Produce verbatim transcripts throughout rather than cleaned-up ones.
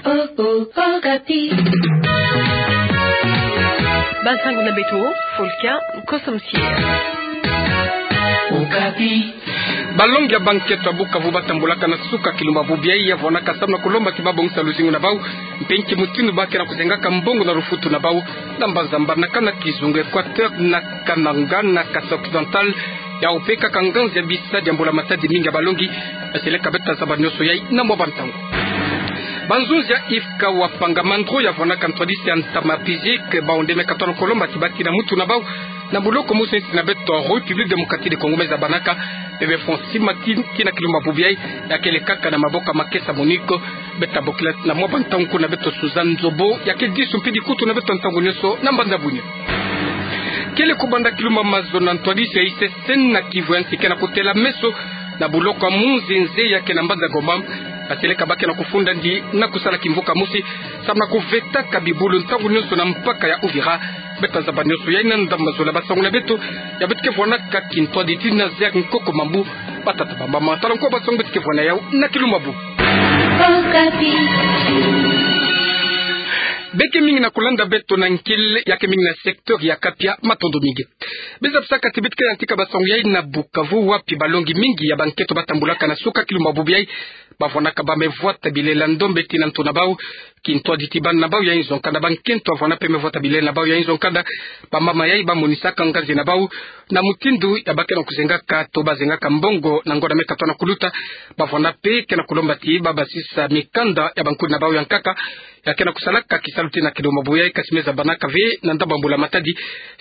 Oh, oh, Okapi. Bansango na beto, Folka Kosomsie. Okapi. Balongi ya bankento ya Bukavu batambulaka na suka kilumbu bubu yayi, ya vwanaka samu na kulomba ti babongisa luzingu na bau, mpe nki mutindu ba ke na kuzengaka mbongo na lufutu na bau, na mbanza mbanakana kizunga Equateur na Kananga na Kasaï Occidental, yau mpe kaka nganzi ya bisadi ya mbula matadi mingi ya balongi, ya seleka beto tazaba nionso yayi na mwa bantangu. Banzunzi ya IFCAW wa Panga Mandro ya vwanaka ntwadisi ya ntama physique, bau nde me katona kulomba ti batina mutu na bau na buloko mosi nsi na beto, République Démocratique du Congo, me zabanaka, mpe be fonds Sima ti, kina kilumbu bubu yayi, ya kele kaka na maboko ya Makesa Monique. Beto tabokila na mwa bantangu kuna beto Suzanne Nzobo, ya ke disu mpe dikutu na beto ntangu nionso na mbanza bunio. Kele kubanda kilumbu mazono, ntwadisi ya ICC na kivu ya nsi ke na kutela meso na buloko ya Munzenze ya ke na mbanza Goma, ya seleka ba ke na kufunda ndi na kusala kimvuka mosi, samu na kuvetaka bibulu ntangu nionso na mpaka ya Uvira. Beto tazaba nionso yayi na ndambu mazola, bansango na beto, ya beto ke vwanaka kintwaditi na Zek Nkoko Mambu, batata bamama. Tala nko bansango beto ke vwana yau na kilumbu bubu. Okapi. Be ke mingi na kulanda beto na nkele, ya ke mingi na secteur ya Kapia, matondo mingi. Biza bisaka ti beto ke yantika bansango yayi na Bukavu, wapi balongi mingi ya bankento batambulaka na suka kilumbu bubu yayi, bavwanaka ba me vwata bilela ndombe ti na ntu na bau. Kintwaditi bana na bau ya inzo nkanda, bankento bavwana mpe me vwata bilela na bau ya inzo nkanda, bamama yayi bamonisaka nganzi na bau na mutindu ya ba ke na kuzengaka to bazengaka mbongo na ngonda me katona kuluta. Bavwana mpe ke na kulomba ti babasisa mikanda ya bankundi na bau ya nkaka, ya ke na kusalaka kisalu ti na kilumbu bubu yayi, kasi me zabanaka ve na ndambu ya mbula matadi.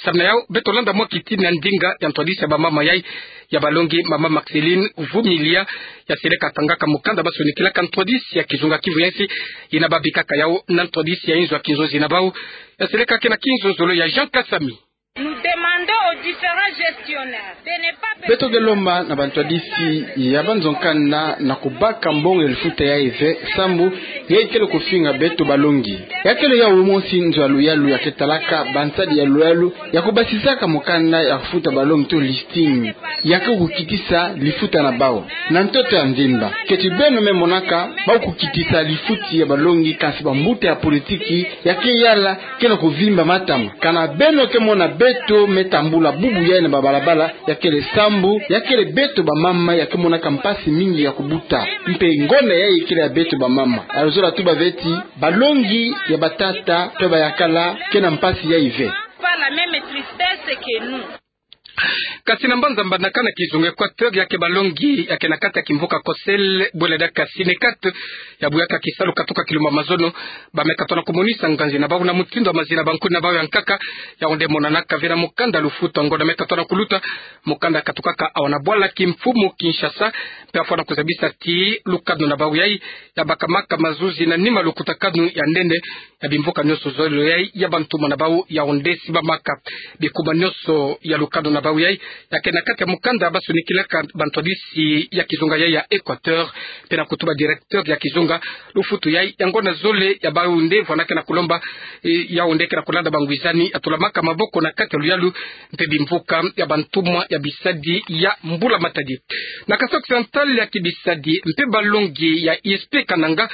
Samu na yau, beto landa mwa kitini ya ndinga ya ntwadisi ya bamama yayi, ya balongi, mama Marceline Vumilia, ya seleka tangaka mukanda basonikilaka ntwadisi ya kizunga Kivu ya nsi, yina babikaka yau na ntwadisi ya inzo ya kinzonzi na bau. Ya seleka ke na kinzonzolo ya Jean Kasami. Nous demandons aux différents gestionnaires de ne pas... Beto ke lomba na bantwadisi ya banzo nkanda na kubaka mbongo ya lifuta yayi ve, sambu yayi kele kufinga beto balongi. Ya kele yau mosi nzo ya luyalu ya ke talaka bansadi ya luyalu ya kubasisaka mukanda ya kufuta balongi to listing, ya ke kukitisa lifuta na bau na ntoto ya mvimba. Keti beno me monaka bau kukitisa lifuti ya balongi, kansi bambuta ya politiki ya ke yala ke na kuvimba matama. Kana beno ke mona beto me tambula bubu yayi na babalabala, ya kele sambu ya kele beto bamama ya ke monaka mpasi mingi ya kubuta. Mpe ngonda yayi kele ya beto bamama. Alors zola tuba ve ti balongi ya batata mpe bayakala ke na mpasi yayi ve. Pas la même tristesse que nous. Kasi na mbanza mbanakana kizunga Equateur, ya ke balongi ya ke na kati ya kimvuka COCEL, bwela diaka Synecat, ya buyaka kisalu katuka kilumbu mazono, ba me katona kumonisa nganzi na bau na mutindu ya mazina ya bankundi na bau ya nkaka. Yau nde monanaka ve na mukanda lufutu ya ngonda me katona kuluta, mukanda katukaka awa na bwala kimfumu Kinshasa, mpe afwana kuzabisa ti lukanu na bau yayi ya bakamaka mazuzi na nima lukutakanu ya nene ya bimvuka nionso zole yayi ya bantumwa na bau. Yau nde simbamaka bikuma nionso ya lukanu na bau yayi, ya ke na kati ya mukanda basonikilaka bantwadisi ya kizunga yayi ya Equateur, mpe na kutuba directeur ya kizunga lufutu yayi ya ngonda zole. Ya bau nde vwana ke na kulomba, eh, yau nde ke na kulanda bangwizani ya tulamaka maboko na kati ya luyalu mpe bimvuka ya bantumwa ya bisadi ya mbula matadi. Na Kasaï Occidental, ya kibisadi mpe balongi ya I S P Kananga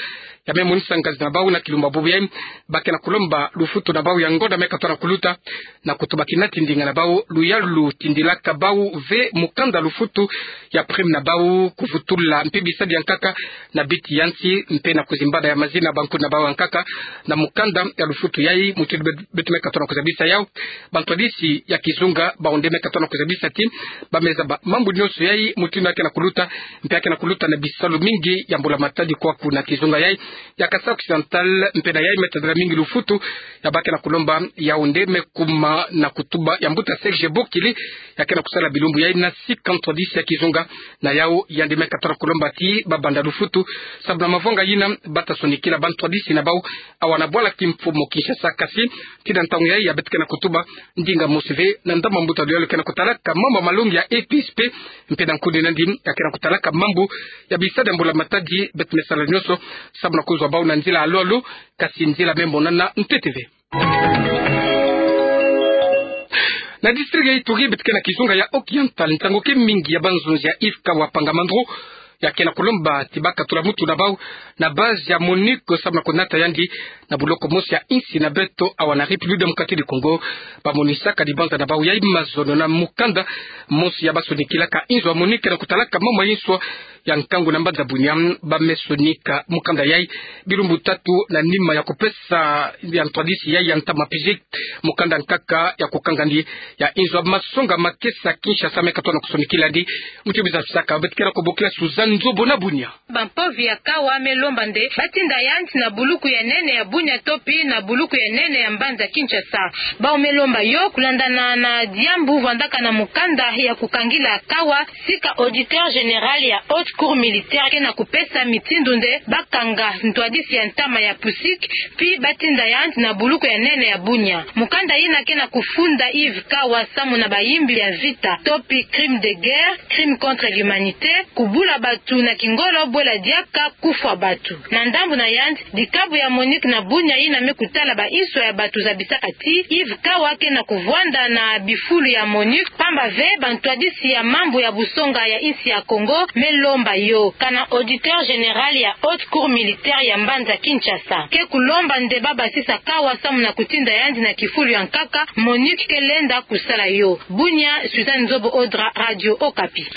ya me monisa nganzi na bau na kilumbu bubu yayi, ba ke na kulomba lufutu na bau ya ngonda me katona kuluta, na kutuba kina ti ndinga na bau, luyalu tindilaka bau ve mukanda lufutu ya prime na bau, kuvutula mpe bisadi ya nkaka na biti ya nsi, mpe na kuzimbana ya mazina ya bankundi na bau ya nkaka na mukanda ya lufutu yayi. Mutindu be-, beto me katona kuzabisa yau, bantwadisi ya kizunga bau nde me katona kuzabisa ti ba me zaba mambu nionso yayi mutindu ya ke na kuluta, mpe ya ke na kuluta na bisalu mingi ya mbula matadi kwa kuna kizunga yayi ya Kasaï Occidental. Mpe na yayi me tadila mingi lufutu ya ba ke na kulomba, yau nde me kuma na kutuba ya mbuta Serge Bokili, ya ke na kusala bilumbu yayi na sika ntwadisi ya kizunga. Na yau yandi me katona kulomba ti ba banda lufutu, sabu na mavanga yina ba ta sonikila bantwadisi na bau awa na bwala kimfumu Kinshasa. Kasi tii na ntangu yayi ya beto ke na kutuba, ndinga mosi ve na ndambu ya mbuta luyalu ke na kutalaka mambu ya malongi ya E P S P, mpe na nkundi na yandi ya ke na kutalaka mambu ya bisadi ya mbula matadi, beto me sala nionso sabu na kuzwa bau na nzila ya lolo, kasi nzila me monana ntete ve. Na district ya Ituri, beto ke na kizunga ya Occidental, nsangu ke mingi ya banzunzi ya IFCAW wa Panga Mandro ya ke na kulomba ti bakatula mutu na bau na base ya MONUC, samu na kunata yandi na buloko mosi ya insi na beto, awa na République Démocratique du Congo. Bamonisaka dibanza na bau yai mazono na mukanda mosi ya basonikilaka inzo ya MONUC na kutalaka mambu ya inso ya nkangu na mbanza Bunia. Ba me sonika mukanda yai bilumbu tatu na nima ya kupesa ya ntwadisi yai ya ntama physique. Mukanda nkaka ya kukanga ndi ya inzo ya masonga makesa Kinshasa me katona kusonikila ndi. Muti biza fisaka beto ke na kubokila Suzanne Nzobo na Bunia. Bampovi ya Kawa me lomba nde batinda yandi na buluku ya nene ya Bunia to pi na buluku ya nene ya mbanza Kinshasa. Bau me lomba yo kulandana na diambu vandaka na mukanda ya kukangila Kawa, sika auditeur général ya Haute Cour militaire ke na kupesa mitindu nde bakanga ntwadisi ya ntama ya physique, pi batinda yandi na buluku ya nene ya Bunia. Mukanda yina ke na kufunda Yves Kawa samu na bayimbi ya vita to pi crime de guerre, crime contre l'humanité, kubula batu na kingolo, bwela diaka kufwa batu. Na ndambu na yandi, dikabu ya MONUC na Bunia yina me kutala ba inso ya batu zabisaka ti Yves Kawa ke na kuvwanda na bifulu ya MONUC, pamba ve bantwadisi ya mambu ya busonga ya insi ya Congo me lomba yo. Kana auditeur général ya Haute Cour militaire ya mbanza Kinshasa ke kulomba nde babasisa Kawa samu na kutinda yandi na kifulu ya nkaka, MONUC ke lenda kusala yo. Bunia, Suzanne Nzobo Odra, Radio Okapi.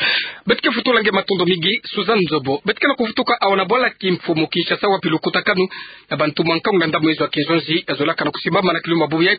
Beto ke futula nge matondo mingi, Suzanne Nzobo. Beto ke na kuvutuka awa na bwala kimfumu Kinshasa, wapi lukutakanu ya bantumwa nkangu na ndambu ya inzo ya kinzonzi ya zolaka na kusimbama na kilumbu bubu yai,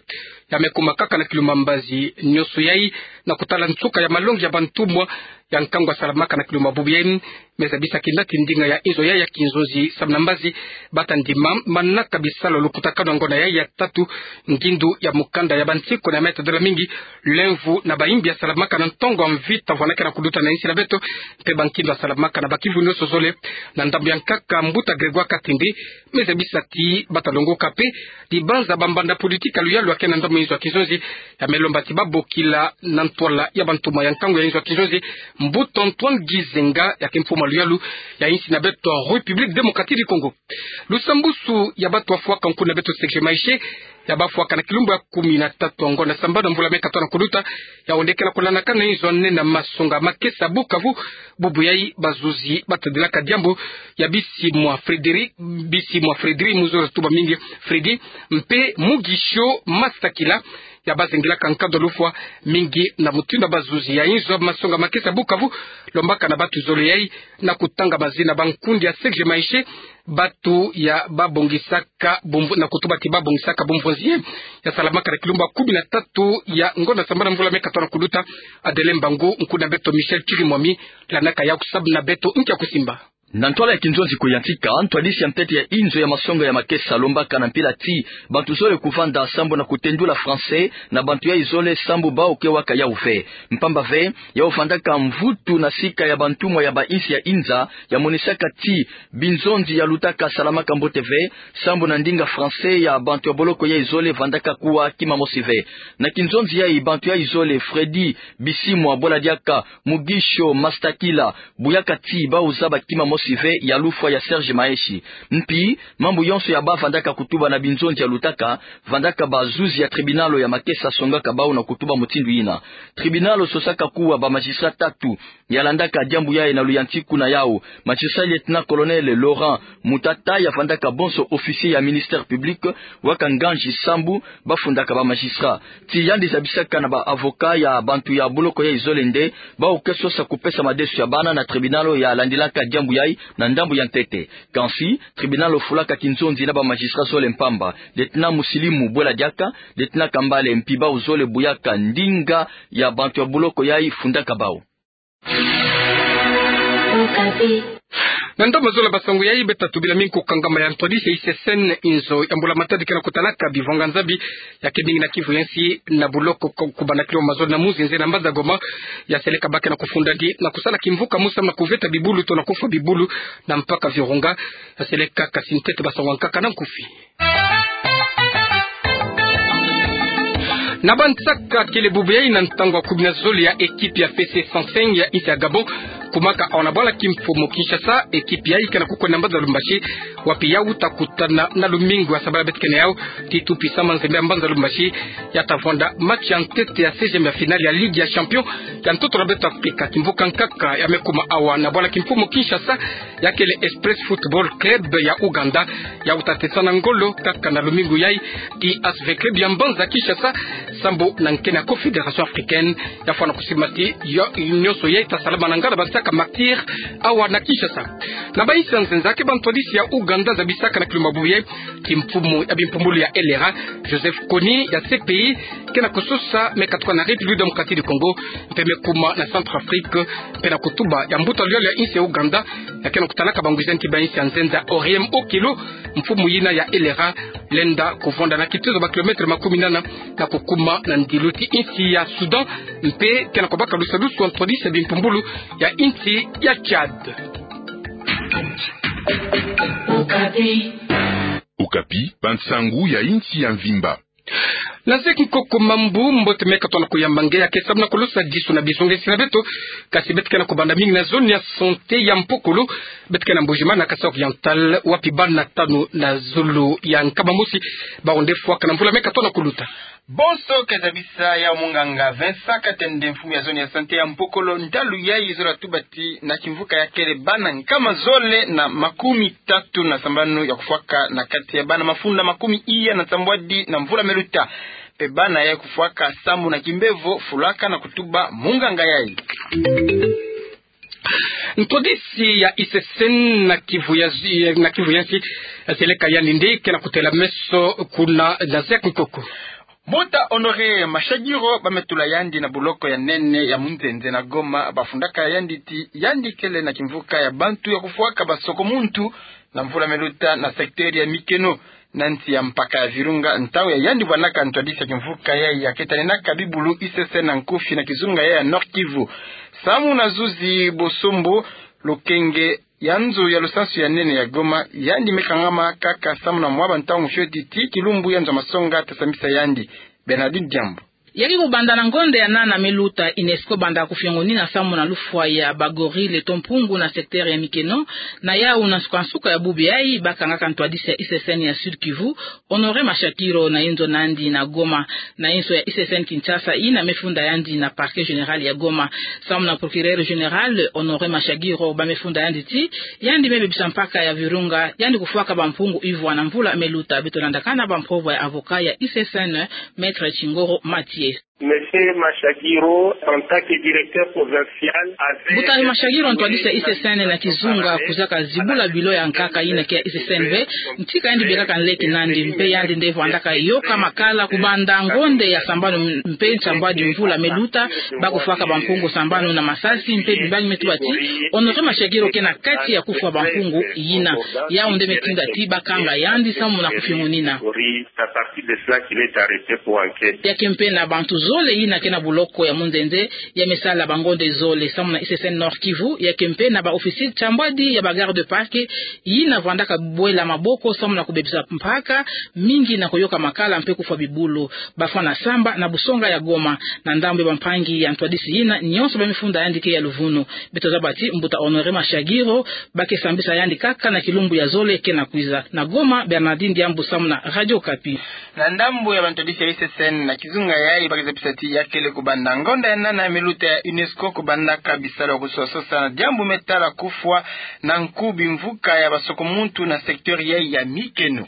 ya me kuma kaka na kilumbu mbazi. Nionso yai na kutala nsuka ya malongi ya bantumwa ya nkangu ya salamaka na kilumbu bubu yai, me zabisa kina ti ndinga ya inzo yai ya kinzonzi samu na mbazi bata ndima manaka bisalu ya lukutakanu ya ngonda yai ya tatu. Ngindu ya mukanda ya bansiku na meta dola mingi, lemvo na bayimbi ya salamaka na ntongo ya mvita vwanakana kuduta na insi na beto, mpe bankindu ya salamaka na bakimvu nionso zole. Na ndambu ya nkaka, mbuta Grégoire Katende me zabisa ti bata longoka mpe dibanza bambanda politique ya luyalu ya ke na ndambu ya inzo ya kinzonzi, ya me lomba ti babokila na ntwala ya bantumwa ya nkangu ya inzo ya kinzonzi, mbuta Antoine Gizenga, ya ke mfumu ya luyalu ya insi na beto République Démocratique du Congo. Lusambusu ya batu bafwaka nku na beto C G Maïche, ya bafwaka na kilumbu ya kumi na tatu ya ngonda sambanu ya mvula me katona kuduta, ya onekana kulandakana na inzo ya nene ya masonga makesa Bukavu. Bubu yai bazuzi batadilaka diambu ya Bisimwa Frédéric, Bisimwa Frédéric, mu zola tuba mingi Freddy, mpe Mugisho Masakila, ya bazengilaka nkado ya lufwa mingi na mutindu ya bazuzi ya inzo ya masonga makesa Bukavu, lombaka na batu zole yai na kutanga mazina bankundi ya C G Maïche, batu ya babongisaka bumvu-, na kutuba ti babongisaka bumvonzi ya salamaka na kilumbu ya kumi na tatu ya ngonda sambanu ya mvula me katona kuduta. Adeline Mbangu, nkundi na beto Michel Chirimwami, landaka ya kusabu na beto nki ya kusimba. Na ntwala ya kinzonzi ko ya ntika, ntwadisi ya ntete ya inzo ya masonga ya makesa lombaka na mpila ti bantu zole kuvanda sambu na kutendula français na bantu yai zole sambu bau ke waka yau ve. Mpamba ve, yau vandaka mvutu na sika ya bantumwa ya bainsi ya inza, ya monisaka ti binzonzi ya lutaka salamaka mbote ve, sambu na ndinga français ya bantu ya boloko yai zole vandaka kuwa kima mosi ve. Na kinzonzi yai, bantu yai zole, Freddy Bisimwa, bwela diaka Mugisho Masakila, buyaka ti bau zaba kima mosi ve ya lufwa ya Serge Maeshe. Mpi, mambu yonso ya bavandaka kutuba na binzonzi ya lutaka, vandaka bazuzi ya tribunal ya makesa songaka bau na kutuba mutindu yina. Tribunal sosaka kuwa ba magistrat tatu ya landaka diambu yai na luyantiku na yau. Magistrat lieutenant-colonel Laurent Mutata, ya vandaka bonso officier ya ministère public, waka nganzi sambu bafundaka ba magistrat. Ti yandi zabisaka na ba avocat ya bantu ya boloko yai zole nde bau ke sosa kupesa madesu ya bana na tribunal ya landilaka diambu yai na ndambu ya ntete. Kansi, tribunal fulaka kinzonzi na ba magistrat zole mpamba. Lieutenant Musilimu, bwela diaka, lieutenant Kambale, mpi bau zole buyaka ndinga ya bantu ya boloko yai fundaka bau. Na ndambu zola basangu yai, beta tubila mingi kukangama ya ntwadisi ya I C C N, inzo ya mbula matadi ke na kutalaka bivwanga-Nzambi ya ke mingi na Kivu ya nsi na buloko ku-, kubanda kilomètre mazono na muzinzi na mbanza Goma. Ya seleka ba ke na kufunda ndi na kusala kimvuka mu samu na kuveta bibulu to na kufwa bibulu na mpaka Virunga. Ya seleka kasi ntete basangu ya nkaka na nkufi. Na bansaka kele bubu yai na ntangu ya kumi na zole ya ekipe ya F C Saint-Louis ya insi ya Gabon kumaka awa na bwala kimfumu Kinshasa, ekipi yayi ke na kukwenda mbanza Lubumbashi, wapi yau ta kutana na lumingu ya sabala beto kena yau, ti tupi sama nzembe ya mbanza Lubumbashi, ya ta vwanda match ya ntete ya seizième ya finale ya Ligue ya Champion ya ntoto na beto Afrika. Kimvuka nkaka ya me kuma awa na bwala kimfumu Kinshasa, ya kele Express Football Club ya Ouganda, yau ta tesa na ngolo kaka na lumingu yayi ti A S V Club ya mbanza Kinshasa, sambu na nkena Confédération Africaine, ya fwana kusiba ti yo, nyonso yayi ta salama na ngala ba nsaka martyrs awa na Kinshasa. Na ba insi ya nzenza ke ba ntwadisi ya Ouganda zabisaka na kilumbu ya bubu yayi, ti mfumu ya bimpumbulu ya L R A, Joseph Kony ya C P I, ke na kusosa me katuka na République démocratique du Congo, mpe me kuma na Centrafrique, mpe na kutuba ya mbuta luyalo ya insi ya Ouganda, ya ke na kutalaka bangwiza nti ba insi ya nzenza Oriem Okello, mfumu yina ya L R A, lenda kuvwanda na kitezo ba kilomètre makumi nana na kukuma na ndilu ti insi ya Soudan, mpe ke na kubaka lusadusu wa ntwadisi ya bimpumbulu ya insi ya Tchad. Okapi, bansangu ya insi ya mvimba. Na zeki nkoko mambu, mbote me katono kuyamba nge ya ke samu na kulusa disu na bizunga insi na beto, kasi beto ke na kubanda mingi na zone ya santé ya Mpokolo, beto ke na Mbuji-Mayi na Kasaï Oriental, wapi bana tanu na zulu ya nkama mosi, bawu nde fwaka na mvula me katono kuluta. Bonso ke zabisa ya munganga Vincent Katende, mfumu ya zone ya santé ya Mpokolo, ntalu yayi zola tuba ti na kimvuka ya kele bana nkama zole na makumi tatu na sambanu ya kufwaka na kati ya bana mafunda makumi iya na nsambwadi na mvula me luta. Mpe bana ya kufwaka samu na kimbevo, fulaka na kutuba munganga yayi. Ntwadisi ya I C C N na Kivu ya, na Kivu ya nsi, zeleka yandi nde ke na kutela meso kuna na zeki nkoko. Mbuta Honoré Mashagiro, ba me tula yandi na boloko ya nene ya Munzenze na Goma, ba fundaka yandi ti yandi kele na kimvuka ya bantu ya kufwaka ba soko muntu na mvula me luta na secteur ya Mikeno, na nsi ya mpaka ya Virunga, ntangu ya yandi vwanaka ntwadisi ya kimvuka yayi ya ke taninaka bibulu I C C N na nkufi na kizunga yayi ya Nord-Kivu. Samu na zuzi Bosombo, lokenge ya nzo ya lusansu ya nene ya Goma, yandi me kangama kaka samu na mwa ba ntangu fioti ti kilumbu ya nzo ya masonga ta sambisa yandi. Bernardine Diambu. Ya ke kubanda na ngonda ya nana me luta, UNESCO banda kufiongonina samu na lufwa ya ba gorille to mpungu na secteur ya Mikeno, na yawu na nsuka-nsuka ya bubu yayi ba kangaka ntwadisi ya I C C N ya Sud-Kivu, Honoré Mashagiro na inzo nandi na Goma. Na inzo ya I C C N Kinshasa yina me funda yandi na Parquet général ya Goma. Samu na Procureur général, Honoré Mashagiro, ba me funda yandi ti yandi me bebisa mpaka ya Virunga, yandi kufwaka ba mpungu ivwa na mvula me luta. Beto landakana ba mpova ya avocat ya I C C N, Maître Chingoro Mathieu. Monsieur Mashagiro, en tant que directeur provincial, avait... Mbuta Mashagiro, ntwadisi ya I C C N na kizunga, kwizaka zibula bilo ya nkaka yina ke ya I C C N ve, ntika yandi bekaka nleke nandi, mpe yandi nde vwandaka yoka makala kubanda ngonda ya sambanu mpe nsambwadi mvula me luta, ba kufwaka ba mpungu sambanu na masasi, mpe bimbangi me tuba ti Honoré Mashagiro ke na kati ya kufwa ba mpungu yina. Yawu nde me tinda ti ba kanga yandi samu na kufiongonina. C'est à partir de cela qu'il est arrêté pour enquête. Ya ke mpe na bantu zole yina ke na boloko ya Munzenze, ya me sala ba ngonda zole. Samu na I C C N Nord-Kivu, ya ke mpe na ba officier nsambwadi ya ba garde-parc yina vwandaka bwela maboko samu na kubebisa mpaka mingi na kuyoka makala mpe kufwa bibulu. Ba fwana samba na busonga ya Goma. Na ndambu ya ba mpangi ya ntwadisi yina, nyonso ba me funda yandi ke ya luvunu. Beto zaba ti mbuta Honoré Mashagiro, ba ke sambisa yandi kaka na kilumbu ya zole ke na kwiza. Na Goma, Bernardine Diambu samu na Radio Okapi. Na ndambu ya ba ntwadisi ya I C C N na kizunga yayi, ba ke zabisa ti ya kele kubanda ngonda ya nana me luta ya UNESCO kubandaka bisalu ya kusososa na diambu me tala kufwa na nkubi mvuka ya ba soko muntu na secteur yayi ya Mikeno.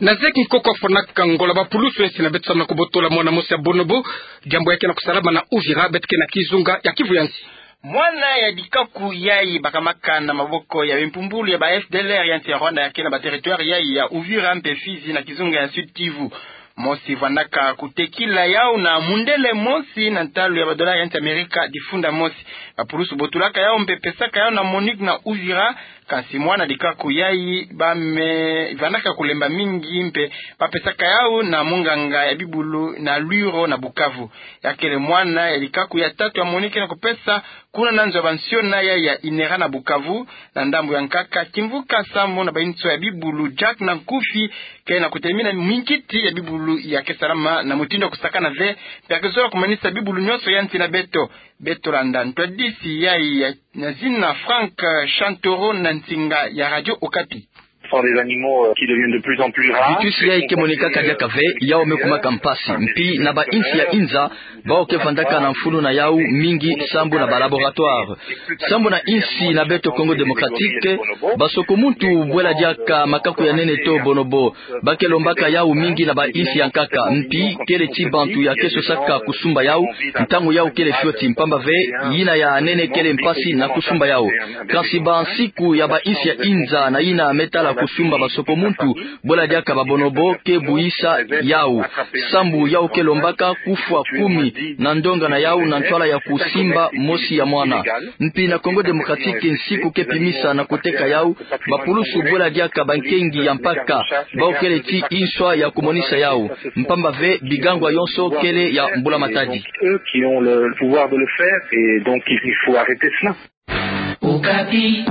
Na zeki nkoko fwanaka ngola ba pulusu ya nsi na beto samu na kubotola mwana mosi ya bonobo, diambu ya ke na kusalama na Uvira, beto ke na kizunga ya Kivu ya nsi. Mwana ya dikaku yayi ba kamaka na maboko ya bimpumbulu ya ba F D L R ya nsi ya Rwanda ya ke na ba territoire yayi ya Uvira mpe Fizi na kizunga ya Sud-Kivu. Mosi vwandaka kutekila yawu na mundele mosi na ntalu ya ba dollar ya nsi Amerika difunda mosi. Bapulusu botulaka yau mpe pesaka yau na Monique na Uvira. Kansi mwana dikaku yai bame vandaka kulemba mingi mpe bapesaka yau na monganga ya bibulu na Lwiro na Bukavu. Ya kele mwana ya dikaku ya tatu ya Monique na kupesa kuna na nzo ya bansiona yai ya INERA na Bukavu. Na ndambu ya nkaka, kimvuka sambu na bainso ya bibulu Jack na Nkufi ke na kutemina minkiti ya bibulu ya ke salama na mutindu ya kusakana ve, mpe ya ke zola kumanisa bibulu nyonso ya nsi na beto. Beto landa ntwadisi yai ya, na zina Frank Chantoro na nsinga ya Radio Okapi. Ce sont des animaux, euh, qui deviennent de plus en plus rares. Bitusi yai ke monikaka diaka ve, yau me kumaka mpasi. Mpi na bainsi ya inza, bawu ke vandaka na mfunu na yau mingi sambu na ba laboratoire. Sambu na insi na beto Congo Démocratique, basoko muntu bwela diaka makaku ya nene to bonobo. Ba ke lombaka yau mingi na bainsi ya nkaka, mpi kele ti bantu ya ke sosaka kusumba yau, ntangu yau kele fioti, mpamba ve yina ya nene kele mpasi na kusumba yau. Kansi bansiku ya bainsi ya inza na yina me tala kusumba basoko muntu bwela diaka ba bonobo ke buyisa yau. Sambu yau ke lombaka kufwa kumi na ndonga na yau na ntwala ya kusimba mosi ya mwana. Mpi na Congo Démocratique nsiku ke pimisa na kuteka yau, bapulusu bwela diaka bankengi ya mpaka, bawu kele ti inswa ya kumonisa yau. Mpamba ve bigangwa yonso kele ya mbula matadi. Eux qui ont le pouvoir de le faire et donc il faut arrêter cela. Okapi.